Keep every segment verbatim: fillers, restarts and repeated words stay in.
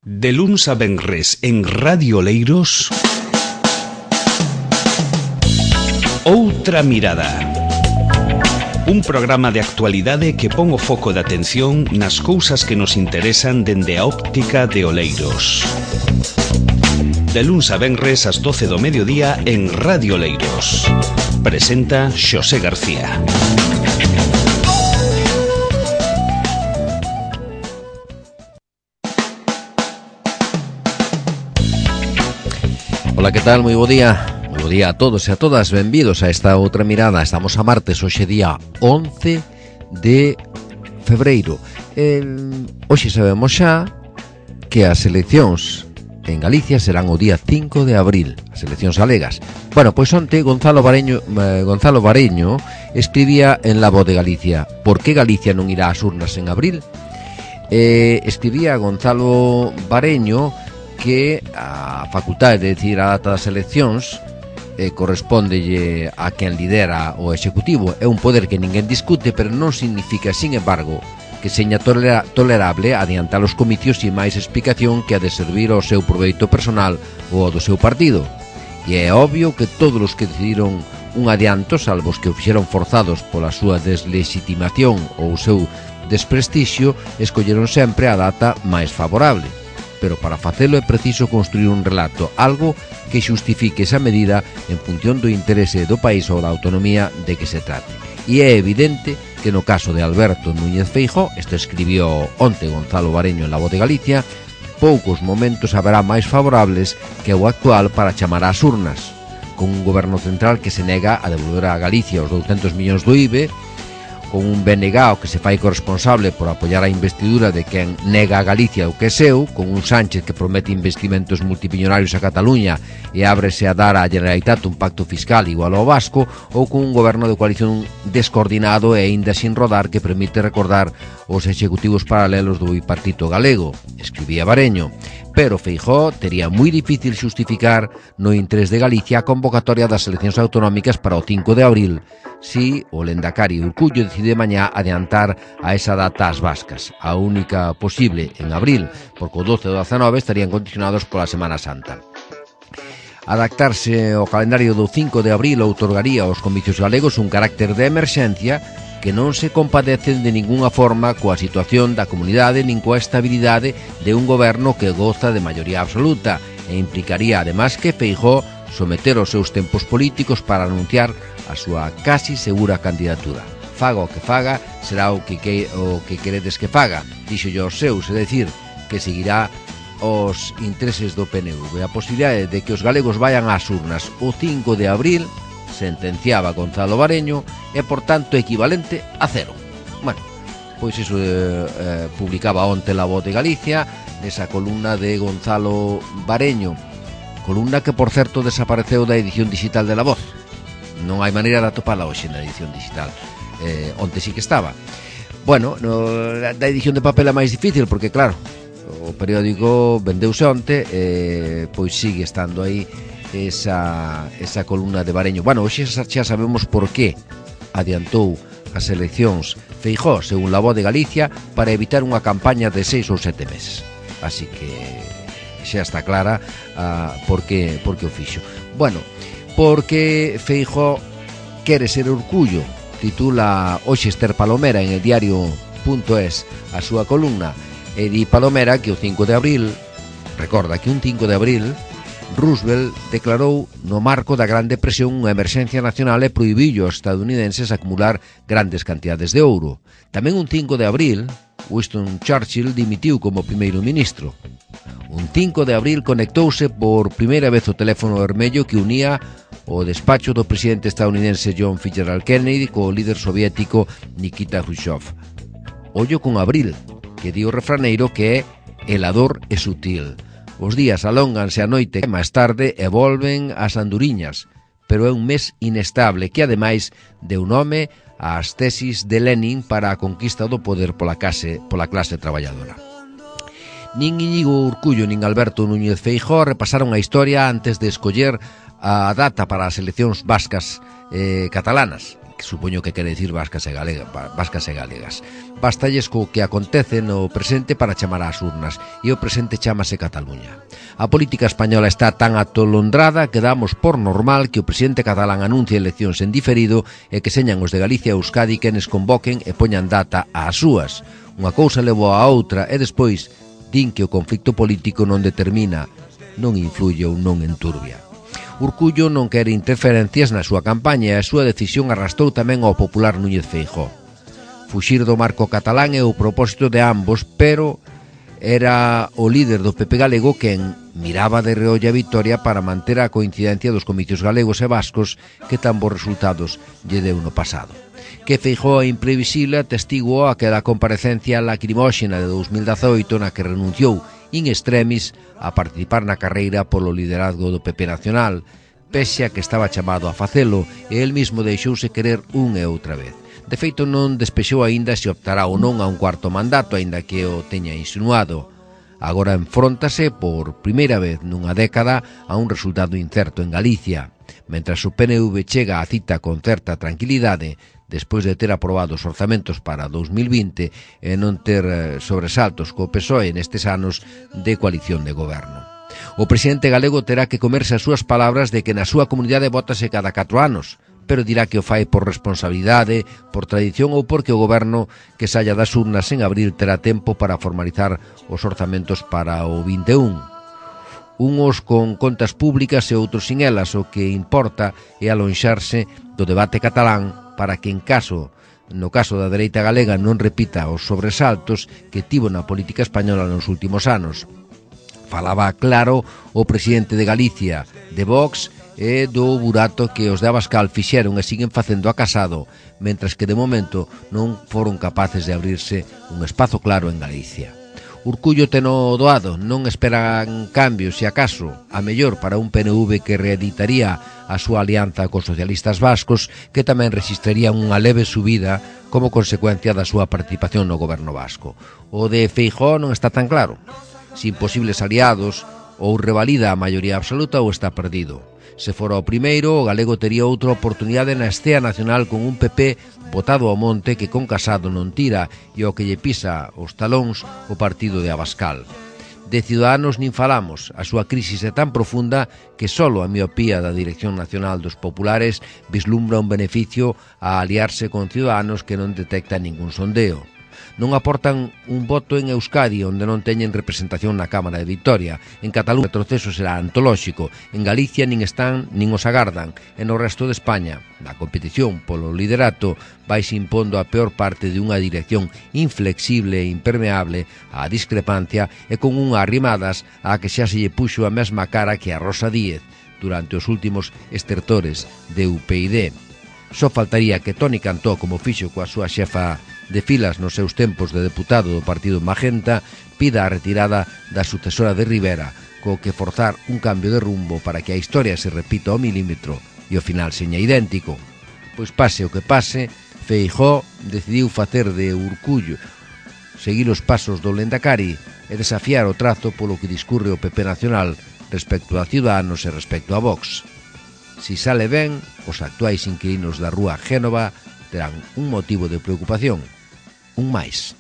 De luns a venres en Radio Oleiros, Outra Mirada. Un programa de actualidade que pon o foco de atención nas cousas que nos interesan dende a óptica de Oleiros. De luns a venres ás doce do mediodía en Radio Oleiros. Presenta Xosé García. Ola, que tal? Moi bo día. Moi bo día a todos e a todas. Benvidos a esta outra mirada. Estamos a martes, hoxe día once de febreiro. eh, Hoxe sabemos xa que as eleccións en Galicia serán o día cinco de abril, as eleccións galegas. Bueno, pois onte Gonzalo Bareño, eh, Gonzalo Bareño escribía en La Voz de Galicia: por que Galicia non irá ás urnas en abril? Eh, escribía Gonzalo Bareño que a facultade de decidir a data das eleccións eh, correspóndelle a quen lidera o executivo. É un poder que ninguén discute, pero non significa, sin embargo, que seña tolera, tolerable adiantar os comicios sin máis explicación que a de servir ao seu proveito personal ou ao do seu partido. E é obvio que todos os que decidiron un adianto, salvo os que o fixeron forzados pola súa deslegitimación ou o seu desprestixio, escolleron sempre a data máis favorable. Pero para facelo é preciso construir un relato, algo que xustifique esa medida en función do interese do país ou da autonomía de que se trate. E é evidente que no caso de Alberto Núñez Feijóo, isto escribió onte Gonzalo Bareño en La Voz de Galicia, poucos momentos haberá máis favorables que o actual para chamar ás urnas, con un goberno central que se nega a devolver a Galicia os douscentos millóns do I B E, con un B N G que se fai corresponsable por apoiar a investidura de quen nega a Galicia o que é seu, con un Sánchez que promete investimentos multimillonarios a Cataluña e ábrese a dar á Generalitat un pacto fiscal igual ao vasco, ou con un goberno de coalición descoordinado e aínda sin rodar que permite recordar os executivos paralelos do bipartito galego, escribía Bareño. Pero Feijóo tería moi difícil xustificar no interés de Galicia a convocatoria das eleccións autonómicas para o cinco de abril, si o Lendakari Urcullo decide mañá adiantar a esa data as vascas, a única posible en abril, porque o doce e o dezanove estarían condicionados pola Semana Santa. Adaptarse ao calendario do cinco de abril outorgaría aos comicios galegos un carácter de emerxencia que non se compadecen de ningunha forma coa situación da comunidade nin coa estabilidade de un goberno que goza de maioría absoluta, e implicaría además que Feijóo someter os seus tempos políticos para anunciar a súa casi segura candidatura. Faga o que faga, será o que, que, o que queredes que faga, dixo yo aos seus, é dicir, que seguirá os intereses do P N V. A posibilidade de que os galegos vayan ás urnas o cinco de abril, sentenciaba Gonzalo Bareño, é por tanto equivalente a cero. Bueno, pois iso eh, eh, publicaba onte La Voz de Galicia, nesa columna de Gonzalo Bareño, columna que por certo desapareceu da edición digital de La Voz. Non hai maneira de atopala hoxe na edición digital. eh, onte sí que estaba. Bueno, no, da edición de papel é máis difícil porque claro, o periódico vendeuse onte, eh, pois sigue estando aí esa, esa columna de Bareño. Bueno, hoxe xa sabemos por que adiantou as eleccións Feijóo, según La Voz de Galicia, para evitar unha campaña de seis ou sete meses. Así que xa está clara uh, por que, por que o fixo. Bueno, porque Feijóo quere ser Urcullo, titula hoxe Esther Palomera en el diario punto es a súa columna, e di Palomera que o cinco de abril, recorda que un cinco de abril Roosevelt declarou no marco da Gran Depresión unha emerxencia nacional e prohibiu aos estadounidenses acumular grandes cantidades de ouro. Tamén un cinco de abril, Winston Churchill dimitiu como primeiro ministro. Un cinco de abril conectouse por primeira vez o teléfono vermello que unía o despacho do presidente estadounidense John Fitzgerald Kennedy co líder soviético Nikita Khrushchev. Ollo con abril, que di o refraneiro que é helador e sutil. Os días alónganse a noite máis tarde e volven ás anduriñas, pero é un mes inestable que ademais deu nome ás tesis de Lenin para a conquista do poder pola clase, pola clase traballadora. Nin Íñigo Urcullo nin Alberto Núñez Feijóo repasaron a historia antes de escoller a data para as eleccións vascas eh, catalanas. que supoño que quere dicir vascas e, galega, vascas e galegas. Bastalles co que acontece no presente para chamar ás urnas, e o presente chámase Cataluña. A política española está tan atolondrada que damos por normal que o presidente catalán anuncie eleccións en diferido e que señan os de Galicia e Euskadi quenes convoquen e poñan data ás súas. Unha cousa levou a outra e despois din que o conflicto político non determina, non influye ou non enturbia. Urcullo non quere interferencias na súa campaña e a súa decisión arrastrou tamén ao popular Núñez Feijóo. Fuxir do marco catalán é o propósito de ambos, pero era o líder do P P galego quen miraba de reolla a vitoria para manter a coincidencia dos comicios galegos e vascos que tan bons resultados lle deu no pasado. Que Feijóo é imprevisible atestiguou aquela comparecencia lacrimóxena de dos mil dezaoito na que renunciou in extremis a participar na carreira polo liderazgo do P P nacional, pese a que estaba chamado a facelo e el mismo deixouse querer unha e outra vez. De feito, non despexou aínda se optará ou non a un cuarto mandato, aínda que o teña insinuado. Agora enfróntase por primeira vez nunha década a un resultado incerto en Galicia. Mentras o P N V chega á cita con certa tranquilidade, despois de ter aprobado os orzamentos para dous mil vinte e non ter sobresaltos co P S O E nestes anos de coalición de goberno. O presidente galego terá que comerse as súas palabras de que na súa comunidade vótase cada catro anos, pero dirá que o fai por responsabilidade, por tradición ou porque o goberno que saia das urnas en abril terá tempo para formalizar os orzamentos para o vinte e un. Unos con contas públicas e outros sin elas, o que importa é alonxarse do debate catalán para que en caso, no caso da dereita galega, non repita os sobresaltos que tivo na política española nos últimos anos. Falaba claro o presidente de Galicia, de Vox, e do burato que os de Abascal fixeron e siguen facendo a Casado, mentras que de momento non foron capaces de abrirse un espazo claro en Galicia. Urcullo teno doado, non esperan cambios, se acaso, a mellor para un P N V que reeditaría a súa alianza cos socialistas vascos, que tamén rexistrarían unha leve subida como consecuencia da súa participación no goberno vasco. O de Feijóo non está tan claro. Sin posibles aliados, ou revalida a maioría absoluta ou está perdido. Se fora o primeiro, o galego tería outra oportunidade na estea nacional con un P P botado ao monte que con Casado non tira e o que lle pisa os talóns o partido de Abascal. De Ciudadanos nin falamos, a súa crisis é tan profunda que solo a miopía da Dirección Nacional dos Populares vislumbra un beneficio a aliarse con Ciudadanos que non detecta ningún sondeo. Non aportan un voto en Euskadi onde non teñen representación na Cámara de Vitoria. En Cataluña o retroceso será antolóxico. En Galicia nin están nin os agardan. E no resto de España, na competición polo liderato, vaise impondo a peor parte de unha dirección inflexible e impermeable á discrepancia e con unha arrimadas á que xa se lle puxo a mesma cara que a Rosa Díez durante os últimos estertores de U P I D. Só faltaría que Toni Cantó, como fixo coa súa xefa de filas nos seus tempos de deputado do partido Magenta, pida a retirada da sucesora de Rivera, co que forzar un cambio de rumbo para que a historia se repita ao milímetro e o final seña idéntico. Pois pase o que pase, Feijóo decidiu facer de Urcullo, seguir os pasos do Lendakari e desafiar o trazo polo que discurre o P P nacional respecto a Ciudadanos e respecto a Vox. Si sale ben, os actuais inquilinos da rúa Génova terán un motivo de preocupación, un máis.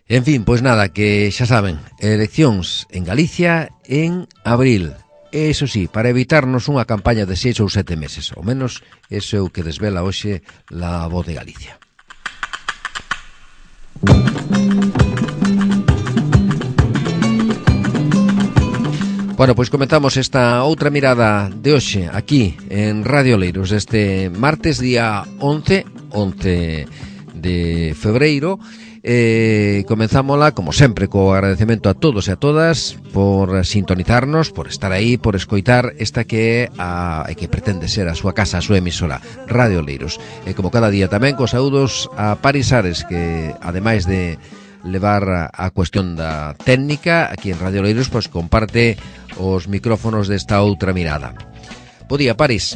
En fin, pois nada, que xa saben, eleccións en Galicia en abril. Eso sí, para evitarnos unha campaña de seis ou sete meses, ao menos eso é o que desvela hoxe La Voz de Galicia. Bueno, pois comentamos esta outra mirada de hoxe aquí en Radio Oleiros este martes día once de febreiro. Eh, comenzámola, como sempre, co agradecemento a todos e a todas por sintonizarnos, por estar aí, por escoitar esta que é a que pretende ser a súa casa, a súa emisora, Radio Oleiros. E como cada día tamén, cos saúdos a Paris Ares, que ademais de levar a cuestión da técnica aquí en Radio Oleiros, pois comparte os micrófonos desta outra mirada. Bo día, Paris.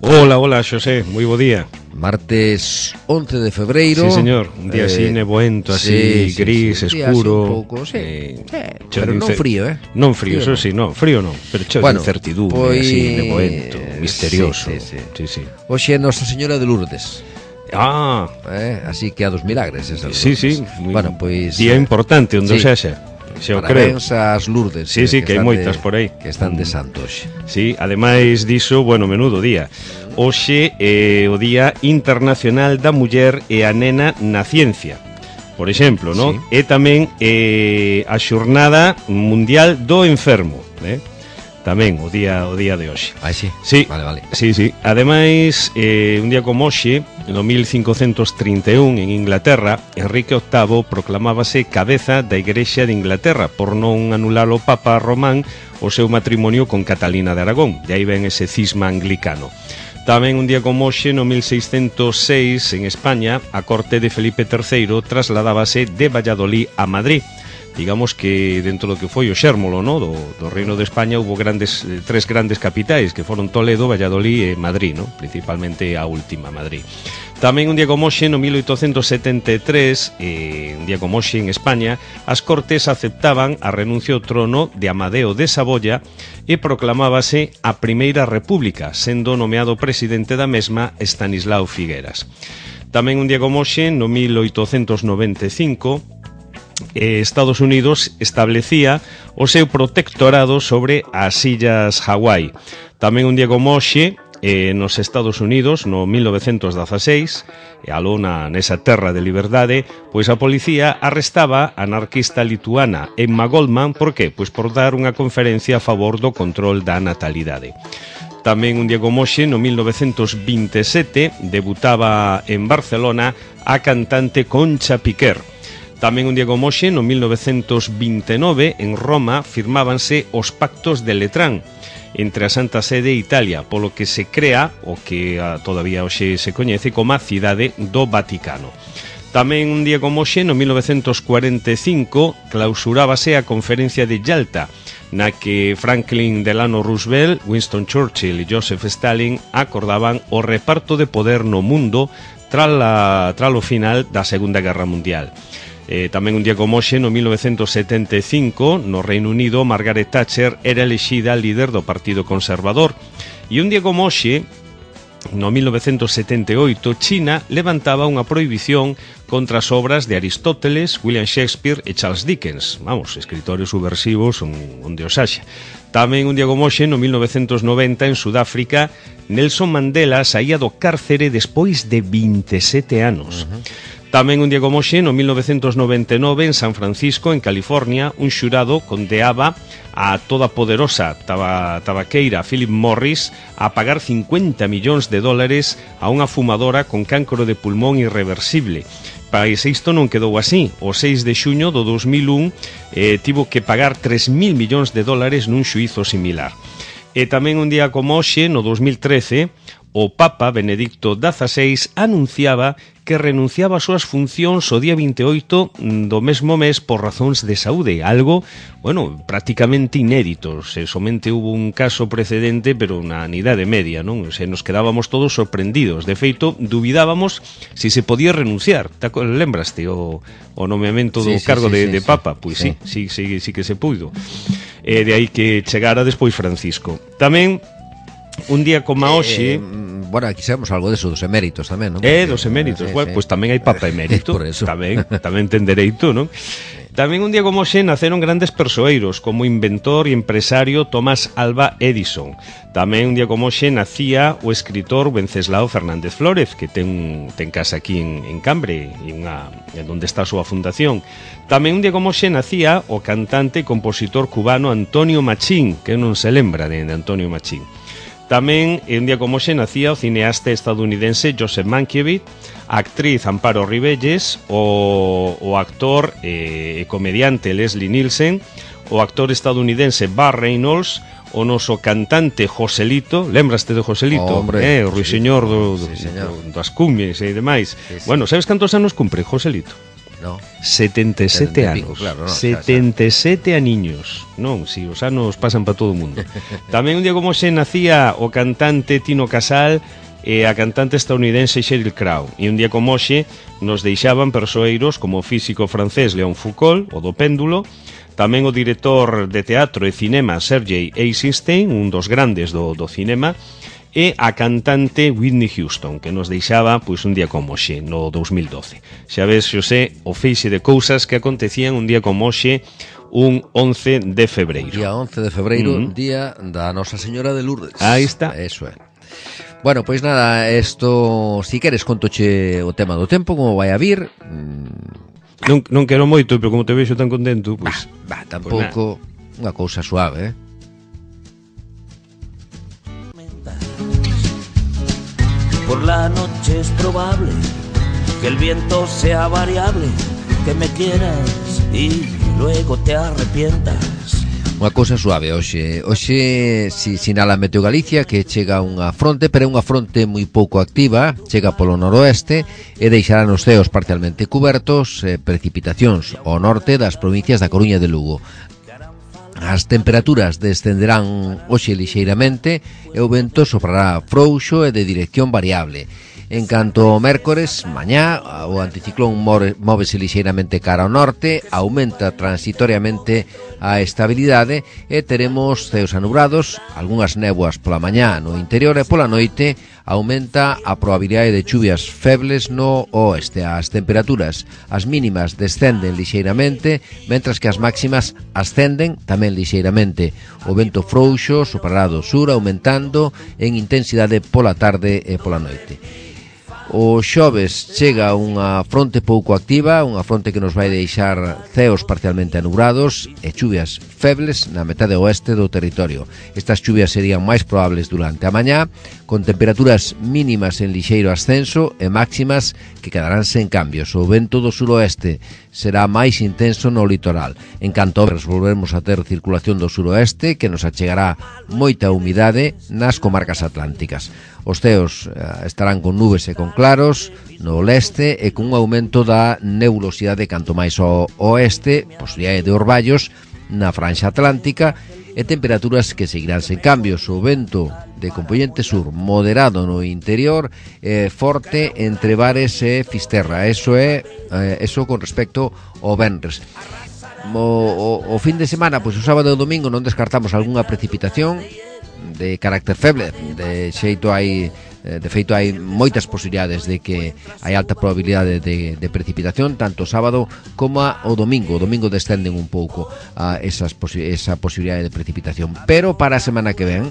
Hola, hola, Xosé, moi bo día. Martes once de febreiro. Sí, señor, un día eh, así nevoento, así, sí, gris, sí, sí. Un escuro. un pouco, sí. Eh, sí. Pero non frío, eh? Non frío, frío eso no. sí, non, frío non, pero cheo bueno, de incertidumbre, pois... así, nevoento, misterioso. Sí, sí, sí. sí, sí. Hoxe é Nosa Señora de Lourdes. Ah, eh, así que a dos milagres esas sí, Lourdes. sí, bueno, pois día importante onde sí. sexa. Xo Parabéns ás Lourdes. Sí, sí, que, que hai moitas de, por aí que están de santos. Sí, ademais diso, bueno, menudo día. Hoxe é o Día Internacional da Muller e a Nena na Ciencia, por exemplo, ¿no? Sí. E tamén é a Xornada Mundial do Enfermo, eh? Tamén o día o día de hoxe. Ah, sí? Sí, vale, vale. Sí, sí. Ademais, eh, un día como hoxe, no mil cincocentos trinta e un, en Inglaterra, Enrique octavo proclamábase cabeza da Igrexa de Inglaterra por non anular o Papa Román o seu matrimonio con Catalina de Aragón. De aí ven ese cisma anglicano. Tamén un día como hoxe, no mil seiscentos seis, en España, a corte de Felipe terceiro trasladábase de Valladolid a Madrid. Digamos que dentro do que foi o xérmolo, no? do, do Reino de España houve grandes, eh, tres grandes capitais que foron Toledo, Valladolid e Madrid, no? Principalmente a última, Madrid. Tamén un día como hoxe, no mil oitocentos setenta e tres, eh, un día como hoxe en España, as Cortes aceptaban a renuncia ao trono de Amadeo de Saboya e proclamábase a Primeira República, sendo nomeado presidente da mesma Estanislao Figueras. Tamén un día como hoxe, no mil oitocentos noventa e cinco, Eh, Estados Unidos establecía o seu protectorado sobre as illas Hawái. Tamén un día como hoxe, eh, nos Estados Unidos, no mil novecentos dezaseis, e aló na, nesa terra de liberdade, pois a policía arrestaba a anarquista lituana Emma Goldman, por qué? Pois por dar unha conferencia a favor do control da natalidade. Tamén un día como hoxe, no mil novecentos vinte e sete, debutaba en Barcelona a cantante Concha Piquer. Tamén un día como hoxe, no mil novecentos vinte e nove, en Roma, firmábanse os Pactos de Letrán entre a Santa Sede e Italia, polo que se crea o que a, todavía hoxe se coñece como a Cidade do Vaticano. Tamén un día como hoxe, no mil novecentos cuarenta e cinco, clausurábase a Conferencia de Yalta, na que Franklin Delano Roosevelt, Winston Churchill e Joseph Stalin acordaban o reparto de poder no mundo tras o final da Segunda Guerra Mundial. Eh, tamén un día como hoxe, no mil novecentos setenta e cinco, no Reino Unido, Margaret Thatcher era elexida líder do Partido Conservador. E un día como hoxe, no mil novecentos setenta e oito, China levantaba unha prohibición contra as obras de Aristóteles, William Shakespeare e Charles Dickens. Vamos, escritores subversivos onde os haxa. Tamén un día como hoxe, no mil novecentos noventa, en Sudáfrica, Nelson Mandela saía do cárcere despois de vinte e sete anos. Uh-huh. Tamén un día como hoxe, no mil novecentos noventa e nove, en San Francisco, en California, un xurado condeaba a toda poderosa taba, tabaqueira Philip Morris a pagar cincuenta millóns de dólares a unha fumadora con cancro de pulmón irreversible. País isto non quedou así. O seis de xuño do dos mil un eh, tivo que pagar tres mil millóns de dólares nun xuízo similar. E tamén un día como hoxe, no dos mil trece, o Papa Benedicto dieciséis anunciaba que renunciaba ás súas funcións o día vinte e oito do mesmo mes por razóns de saúde, algo, bueno, prácticamente inédito. Se somente hubo un caso precedente, pero na Idade Media, non? Se nos quedábamos todos sorprendidos. De feito, dubidábamos se se podía renunciar. Lembraste o, o nomeamento do sí, sí, cargo sí, de, sí, de Papa? Pois sí, sí, sí, sí, sí que se puido. E de aí que chegara despois Francisco. Tamén un día como hoxe, eh, bueno, aquí sabemos algo deso dos eméritos tamén, non? Eh, dos eméritos, sí, bueno, sí. Pois pues tamén hai Papa emérito. Por eso. Tamén, tamén ten dereito, non? Tamén un día como hoxe naceron grandes persoeiros como inventor e empresario Tomás Alva Edison. Tamén un día como hoxe nacía o escritor Wenceslao Fernández Flórez, que ten, ten casa aquí en, en Cambre, e unha, en onde está a súa fundación. Tamén un día como hoxe nacía o cantante e compositor cubano Antonio Machín, que non se lembra de, de Antonio Machín. Tamén, un día como hoxe, nacía o cineasta estadounidense Joseph Mankiewicz, a actriz Amparo Ribelles, o, o actor e eh, comediante Leslie Nielsen, o actor estadounidense Burt Reynolds, o noso cantante Joselito. Lembraste de Joselito? Oh, hombre, eh, o ruiseñor do, do, sí, do, das cumbres e demais. Sí, sí. Bueno, sabes cantos anos cumpre Joselito? No. setenta e sete anos. Pico, claro, no, setenta e sete aniños. Non, si os anos pasan para todo o mundo. Tamén un día como xe nacía o cantante Tino Casal e a cantante estadounidense Sheryl Crow. E un día como xe nos deixaban persoeiros como o físico francés Léon Foucault, o do péndulo, tamén o director de teatro e cinema Sergei Eisenstein, un dos grandes do, do cinema, e a cantante Whitney Houston, que nos deixaba pois un día como xe, no dos mil doce. Xa ves, Xosé, o feixe de cousas que acontecían un día como xe, un once de febreiro. Día once de febreiro, uh-huh. Día da Nosa Señora de Lourdes. Aí está. Eso é. Bueno, pois nada, esto, si queres contoche o tema do tempo, como vai a vir. Non, non quero moito, pero como te vexo tan contento, pois... Bah, bah, tampouco, pues unha cousa suave, eh? Por la noche es probable que el viento sea variable, que me quieras y luego te arrepientas. Unha cousa suave hoxe. Hoxe si sinala Meteo Galicia que chega unha fronte, pero é unha fronte moi pouco activa, chega polo noroeste e deixará nos ceos parcialmente cubertos eh, precipitacións ao norte das provincias da Coruña e de Lugo. As temperaturas descenderán hoxe lixeiramente e o vento soprará frouxo e de dirección variable. En canto ao mércores, mañá, o anticiclón móvese lixeiramente cara ao norte, aumenta transitoriamente a estabilidade e teremos ceos anubrados, algunhas néboas pola mañá no interior e pola noite aumenta a probabilidade de chuvias febles no oeste. As temperaturas, as mínimas descenden lixeiramente, mentras que as máximas ascenden tamén lixeiramente. O vento frouxo soprará do sur, aumentando en intensidade pola tarde e pola noite. O xoves chega unha fronte pouco activa, unha fronte que nos vai deixar ceos parcialmente anubrados e chuvias febles na metade oeste do territorio. Estas chuvias serían máis probables durante a mañá, con temperaturas mínimas en lixeiro ascenso e máximas que quedarán sen cambios. O vento do suroeste será máis intenso no litoral. En canto volveremos a ter circulación do suroeste, que nos achegará moita humidade nas comarcas atlánticas. Os ceos eh, estarán con nubes e con claros no leste e con un aumento da nebulosidade canto máis ao oeste, posibilidade de orballos na franxa atlántica e temperaturas que seguirán sen cambios. O vento de componente sur moderado no interior e forte entre Bares e Fisterra. Eso é eh, eso con respecto ao venres. O, o, o fin de semana, pois o sábado e o domingo non descartamos algunha precipitación de carácter feble, de xeito hai de feito hai moitas posibilidades de que hai alta probabilidade de, de precipitación tanto o sábado como o domingo. O domingo descenden un pouco a esas posi- esa posibilidade de precipitación, pero para a semana que ven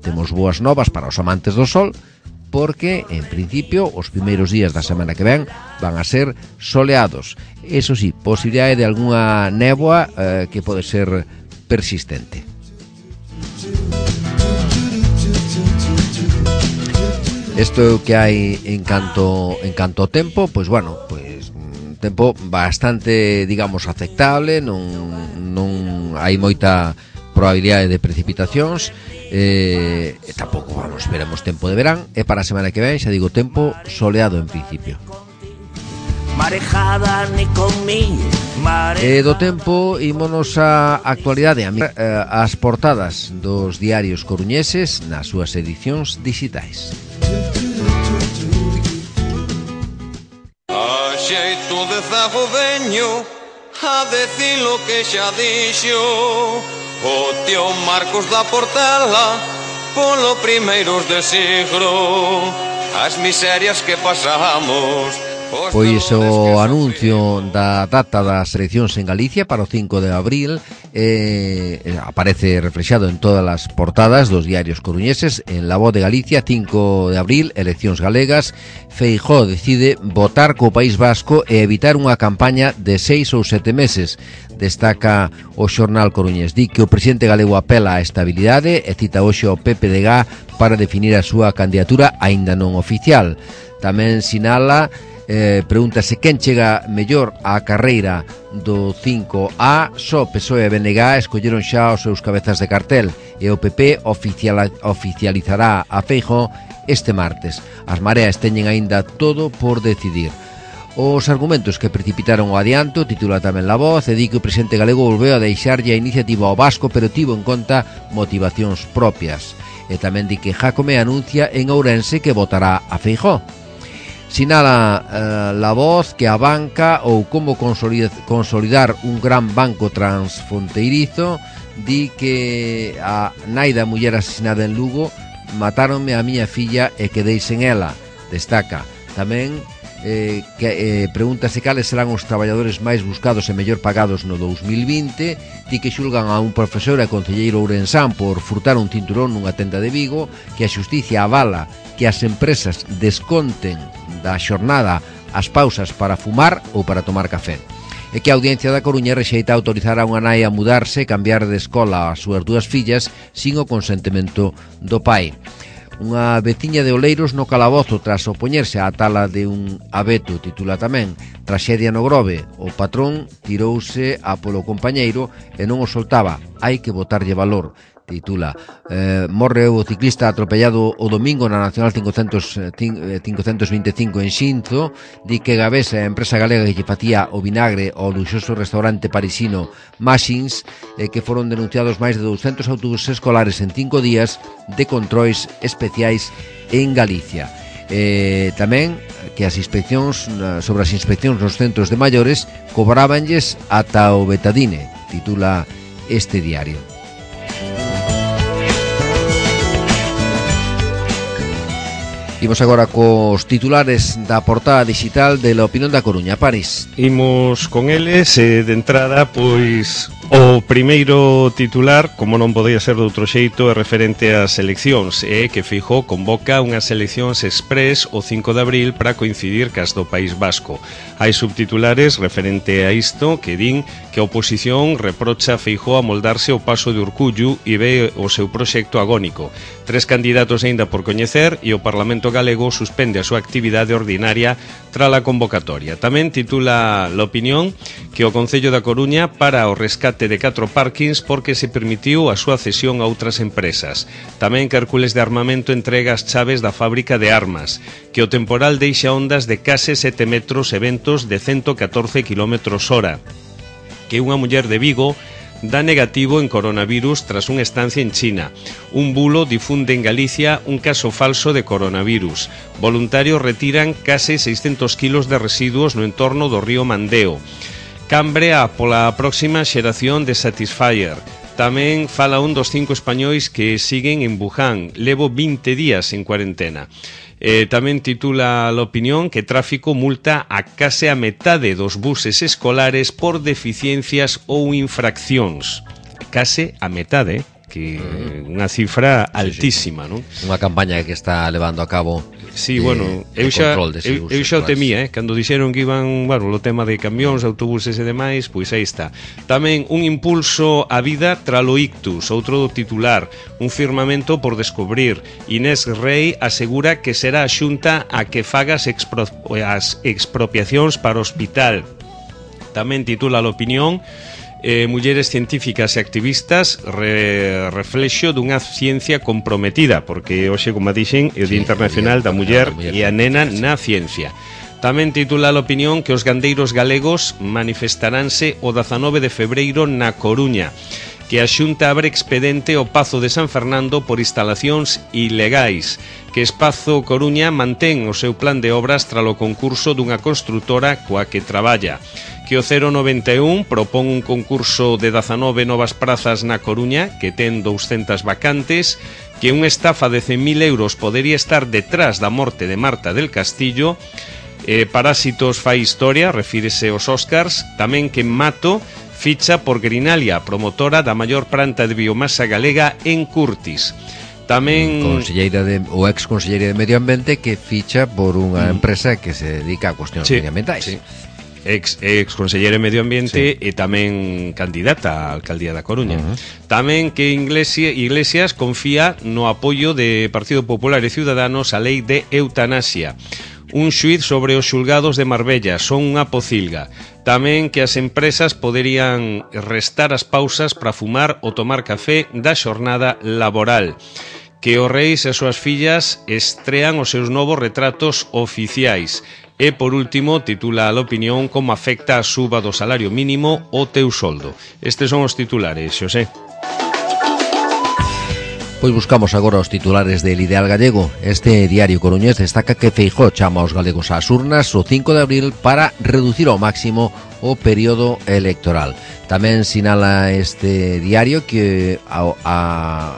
temos boas novas para os amantes do sol, porque en principio os primeiros días da semana que ven van a ser soleados. Eso sí, posibilidade de algunha néboa eh, que pode ser persistente. Isto é o que hai en canto en canto ao tempo, pois bueno, pois un tempo bastante, digamos, aceptable, non non hai moita probabilidade de precipitacións, eh, e tampouco vamos, veremos tempo de verán, e para a semana que ven, xa digo, tempo soleado en principio. Marejada ni con mí. E do tempo ímonos a actualidade, as portadas dos diarios coruñeses nas súas edicións digitais. A xeito de zago veño a decir lo que xa dixo o tío Marcos da Portela polo primeiros de siglo, as miserias que pasamos. Pois o anuncio da data das eleccións en Galicia para o cinco de abril eh, aparece reflexado en todas as portadas dos diarios coruñeses. En La Voz de Galicia, cinco de abril, eleccións galegas. Feijóo decide votar co País Vasco e evitar unha campaña de seis ou sete meses. Destaca o xornal coruñés. Di que o presidente galego apela á estabilidade e cita hoxe ao P P D G para definir a súa candidatura aínda non oficial. Tamén sinala Eh, pregúntase quen chega mellor á carreira do cinco A. Só P S O E e B N G escolleron xa os seus cabezas de cartel e o P P oficial, oficializará a Feijóo este martes. As mareas teñen aínda todo por decidir. Os argumentos que precipitaron o adianto, titula tamén La Voz, e di que o presidente galego volveu a deixarlle a iniciativa ao Vasco, pero tivo en conta motivacións propias. E tamén di que Jácome anuncia en Ourense que votará a Feijóo. Sinala eh, La Voz que a banca ou como consolidar un gran banco transfronteirizo, di que a nai da muller asesinada en Lugo: matáronme a miña filla e quedei sen ela. Destaca tamén eh, que eh, pregúntase cales serán os traballadores máis buscados e mellor pagados no dous mil vinte. Di que xulgan a un profesor e concelleiro ourensán por furtar un cinturón nunha tenda de Vigo, que a xusticia avala que as empresas desconten da xornada as pausas para fumar ou para tomar café, e que a Audiencia da Coruña rexeita autorizar a unha nai a mudarse e cambiar de escola as súas dúas fillas sin o consentimento do pai. Unha veciña de Oleiros no calabozo tras opoñerse á tala de un abeto, titula tamén. Traxedia no Grove: o patrón tirouse a polo compañeiro e non o soltaba, hai que botarlle valor, titula. Eh, morre o ciclista atropellado o domingo na Nacional cincocentos vinte e cinco en Xinzo. Di que Gavesa, a empresa galega que lle facía o vinagre ao luxoso restaurante parisino Machins, eh, que foron denunciados máis de douscentos autobuses escolares en cinco días de controis especiais en Galicia. Eh, tamén que as inspeccións sobre as inspeccións nos centros de maiores cobrábanlles ata o betadine, titula este diario. Imos agora cos titulares da portada digital de La Opinión da Coruña. París. Imos con eles e de entrada, pois, o primeiro titular, como non podía ser de outro xeito, é referente ás eleccións, e que Feijóo convoca unhas eleccións express o cinco de abril para coincidir cas do País Vasco. Hai subtitulares referente a isto que din que a oposición reprocha a Feijóo a moldarse o paso de Urcullu e ve o seu proxecto agónico. Tres candidatos aínda por coñecer e o Parlamento galego suspende a súa actividade ordinaria tras a convocatoria. Tamén titula La Opinión que o Concello da Coruña para o rescate de catro parkings porque se permitiu a súa cesión a outras empresas. Tamén que Hércules de Armamento entrega as chaves da fábrica de armas, que o temporal deixa ondas de case sete metros e ventos de ciento catorce kilómetros hora, que unha muller de Vigo dá negativo en coronavirus tras unha estancia en China. Un bulo difunde en Galicia un caso falso de coronavirus. Voluntarios retiran case seiscentos kilos de residuos no entorno do río Mandeo. Cambrea pola próxima xeración de Satisfyer. Tamén fala un dos cinco españois que siguen en Wuhan. Levo vinte días en cuarentena. Eh, tamén titula La Opinión que tráfico multa a case a metade dos buses escolares por deficiencias ou infraccións. Case a metade, que unha cifra altísima, non? Unha campaña que está levando a cabo. Sí, bueno, eu xa, eu, eu xa o temía, eh, cando dixeron que iban, bueno, o tema de camións, autobuses e demais, pois aí está. Tamén un impulso á vida tralo ictus, outro do titular, un firmamento por descubrir. Inés Rei asegura que será a Xunta a que faga as, expro, as expropiacións para o hospital. Tamén titula La Opinión Eh, mulleres científicas e activistas re, reflexo dunha ciencia comprometida, porque hoxe, como dixen, é o Día Internacional da Muller e a Nena na Ciencia. Tamén titula La Opinión que os gandeiros galegos manifestaránse o dezanove de febreiro na Coruña, que a Xunta abre expedente ao Pazo de San Fernando por instalacións ilegais, que Espazo Coruña mantén o seu plan de obras tralo concurso dunha construtora coa que traballa, que o cero noventa e un propón un concurso de dezanove novas prazas na Coruña que ten douscentas vacantes, que unha estafa de cen mil euros podería estar detrás da morte de Marta del Castillo, eh, Parásitos fai historia, refírese aos Óscars, tamén que Mato ficha por Grinalia, promotora da maior planta de biomasa galega en Curtis. Tamén conselleira de, o ex conselleira de Medio Ambiente que ficha por unha empresa que se dedica a cuestións sí, medioambientais. Sí. Ex, ex conselleira de Medio Ambiente sí. E tamén candidata á alcaldía da Coruña. Uh-huh. Tamén que Iglesias, Iglesias confía no apoio de Partido Popular e Ciudadanos á lei de eutanasia. Un xuíz sobre os xulgados de Marbella son unha pocilga. Tamén que as empresas poderían restar as pausas para fumar ou tomar café da xornada laboral. Que os reis e as súas fillas estrean os seus novos retratos oficiais. E, por último, titula a La Opinión como afecta a suba do salario mínimo o teu soldo. Estes son os titulares, Xosé. Pois buscamos agora os titulares del Ideal Gallego. Este diario coruñés destaca que Feijóo chama aos galegos ás urnas o cinco de abril para reducir ao máximo o período electoral. Tamén sinala este diario que a, a,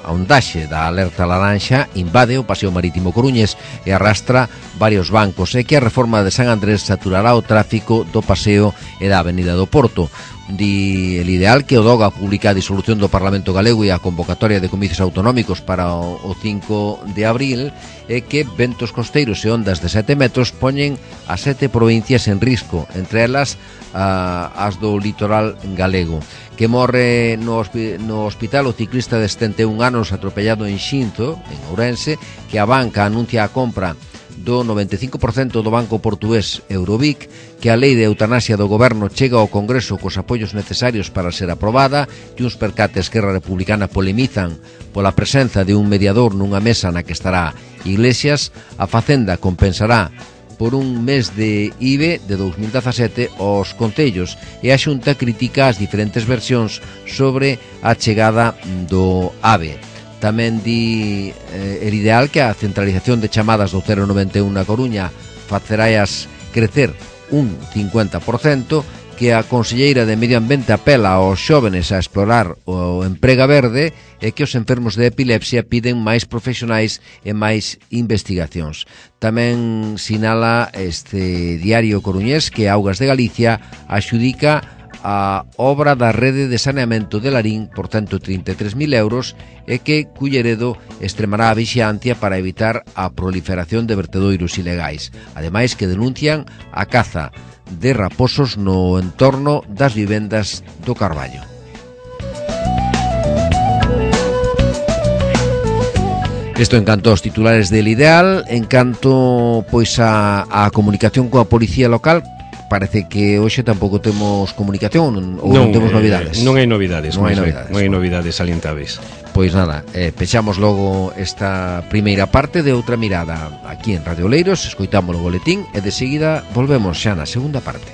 a ondaxe da alerta laranxa invade o paseo marítimo coruñés e arrastra varios bancos e que a reforma de San Andrés saturará o tráfico do paseo e da avenida do Porto. Di el Ideal que o Doga publica a disolución do Parlamento Galego e a convocatoria de comicios autonómicos para o, o cinco de abril e que ventos costeiros e ondas de sete metros poñen a sete provincias en risco, entre elas a, as do litoral galego. Que morre no, no hospital o ciclista de setenta e un anos atropellado en Xinzo, en Ourense, que a banca anuncia a compra do noventa e cinco por cento do banco portugués Eurobic, que a lei de eutanasia do goberno chega ao Congreso cos apoios necesarios para ser aprobada, e uns percates que Esquerra Republicana polemizan pola presenza de un mediador nunha mesa na que estará Iglesias. A Facenda compensará por un mes de I V E de dous mil dezasete aos concellos e a Xunta critica as diferentes versións sobre a chegada do AVE. Tamén di eh, el Ideal que a centralización de chamadas do cero noventa e un na Coruña faceraias crecer un cincuenta por cento, que a conselleira de Medio Ambiente apela aos xóvenes a explorar o emprega verde e que os enfermos de epilepsia piden máis profesionais e máis investigacións. Tamén sinala este diario coruñés que Augas de Galicia axudica a obra da rede de saneamento de Larín por ciento trinta e tres mil euros e que Culleredo extremará a vixiancia para evitar a proliferación de vertedoiros ilegais. Ademais que denuncian a caza de raposos no entorno das vivendas do Carballo. Isto en canto aos titulares del Ideal. En canto pois a, a comunicación coa policía local, parece que hoxe tampouco temos comunicación ou non, non temos novidades. Eh, non hai novidades, non hai novidades, non hai novidades salientables. Pois nada, eh, pechamos logo esta primeira parte de Outra Mirada aquí en Radio Oleiros, escoitamos o boletín e de seguida volvemos xa na segunda parte.